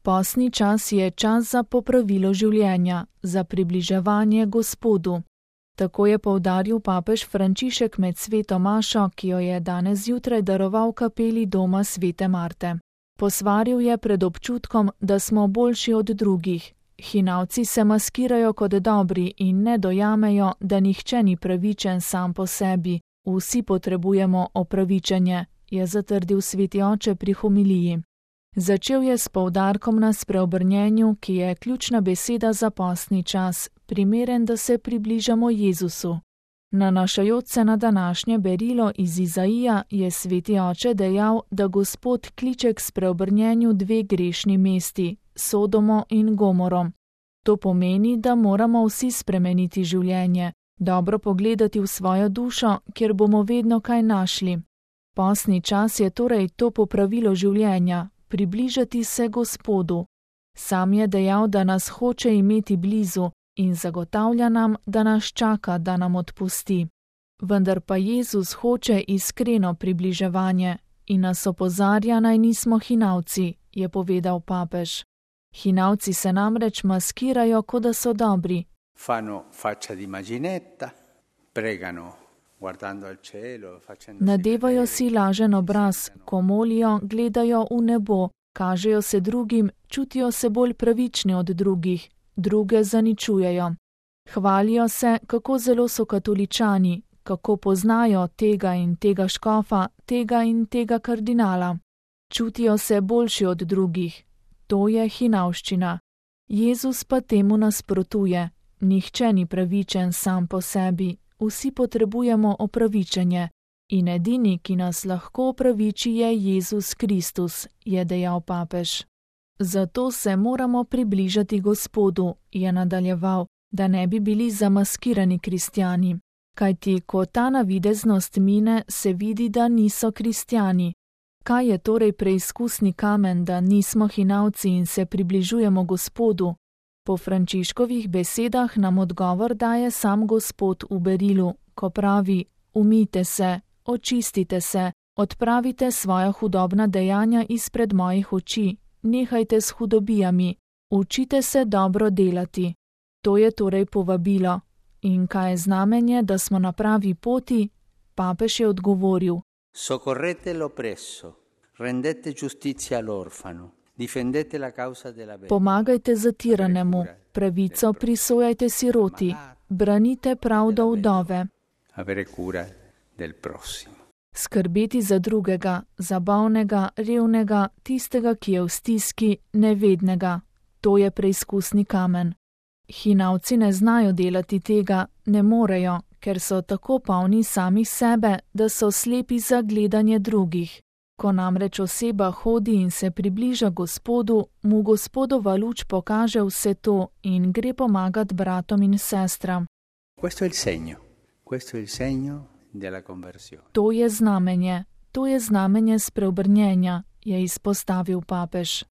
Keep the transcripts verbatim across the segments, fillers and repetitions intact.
Postni čas je čas za popravilo življenja, za približevanje Gospodu. Tako je poudaril papež Frančišek med sveto mašo, ki jo je danes zjutraj daroval kapeli doma svete Marte. Posvaril je pred občutkom, da smo boljši od drugih. Hinavci se maskirajo kot dobri in ne dojamejo, da nihče ni pravičen sam po sebi. Vsi potrebujemo opravičenje, je zatrdil sveti oče pri homiliji. Začel je s poudarkom na spreobrnjenju, ki je ključna beseda za postni čas, primeren, da se približamo Jezusu. Nanašajoč se na današnje berilo iz Izaija, je sveti oče dejal, da Gospod kliče k spreobrnjenju dve grešni mesti, Sodomo in Gomorom. To pomeni, da moramo vsi spremeniti življenje, dobro pogledati v svojo dušo, kjer bomo vedno kaj našli. Postni čas je torej to popravilo življenja, približati se Gospodu. Sam je dejal, da nas hoče imeti blizu in zagotavlja nam, da nas čaka, da nam odpusti. Vendar pa Jezus hoče iskreno približevanje in nas opozarja, naj nismo hinavci, je povedal papež. Hinavci se namreč maskirajo, kot da so dobri. Fanno faccia di immaginetta, pregano guardando al cielo, facendosi Nadevajo si lažen obraz, ko molijo, gledajo v nebo, kažejo se drugim, čutijo se bolj pravični od drugih, druge zaničujejo. Hvalijo se, kako zelo so katoličani, kako poznajo tega in tega škofa, tega in tega kardinala. Čutijo se boljši od drugih. To je hinavščina. Jezus pa temu nasprotuje. Nihče ni pravičen sam po sebi, vsi potrebujemo opravičenje. In edini, ki nas lahko opraviči, je Jezus Kristus, je dejal papež. Zato se moramo približati Gospodu, je nadaljeval, da ne bi bili zamaskirani kristjani. Kajti, ko ta navideznost mine, se vidi, da niso kristjani. Kaj je torej preizkusni kamen, da nismo hinavci in se približujemo Gospodu? Po Frančiškovih besedah nam odgovor daje sam Gospod v berilu, ko pravi: umijte se, očistite se, odpravite svoja hudobna dejanja izpred mojih oči, nehajte s hudobijami, učite se dobro delati. To je torej povabilo. In kaj je znamenje, da smo na pravi poti? Papež je odgovoril: Soccorrete l'oppresso, rendete giustizia all'orfano, difendete la causa della verità. Pomagajte zatiranemu, pravico prisojajte siroti, branite pravdo vdove. Avere cura del prossimo. Skrbeti za drugega, za bolnega, revnega, tistega, ki je v stiski, nevednega. To je preizkusni kamen. Hinavci ne znajo delati tega, ne morejo, ker so tako polni samih sebe, da so slepi za gledanje drugih. Ko namreč oseba hodi in se približa Gospodu, mu Gospodova luč pokaže vse to in gre pomagat bratom in sestram. Questo è il segno. Questo è il segno della conversione. To je znamenje, to je znamenje spreobrnjenja, je izpostavil papež.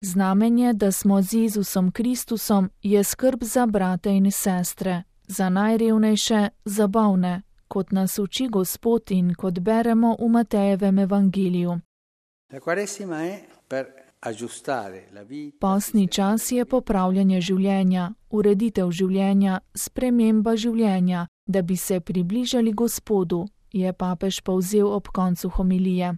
Znamenje, da smo z Jezusom Kristusom, je skrb za brate in sestre, za najrevnejše, za bolne, kot nas uči Gospod in kot beremo v Matejevem evangeliju. Postni čas je popravljanje življenja, ureditev življenja, sprememba življenja, da bi se približali Gospodu, je papež povzel ob koncu homilije.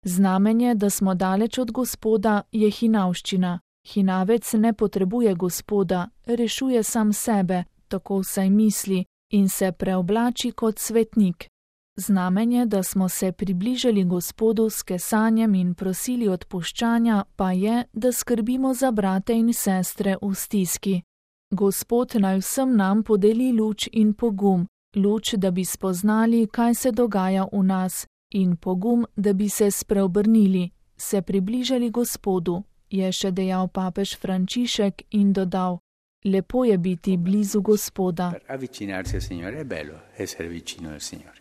Znamenje, da smo daleč od Gospoda, je hinavščina. Hinavec ne potrebuje Gospoda, rešuje sam sebe, tako vsaj misli, in se preoblači kot svetnik. Znamenje, da smo se približali Gospodu s kesanjem in prosili odpuščanja, pa je, da skrbimo za brate in sestre v stiski. Gospod naj vsem nam podeli luč in pogum, luč, da bi spoznali, kaj se dogaja v nas, in pogum, da bi se spreobrnili, se približali Gospodu, je še dejal papež Frančišek in dodal: lepo je biti blizu Gospoda. Per avvicinarsi al Signore è bello essere vicino al Signore.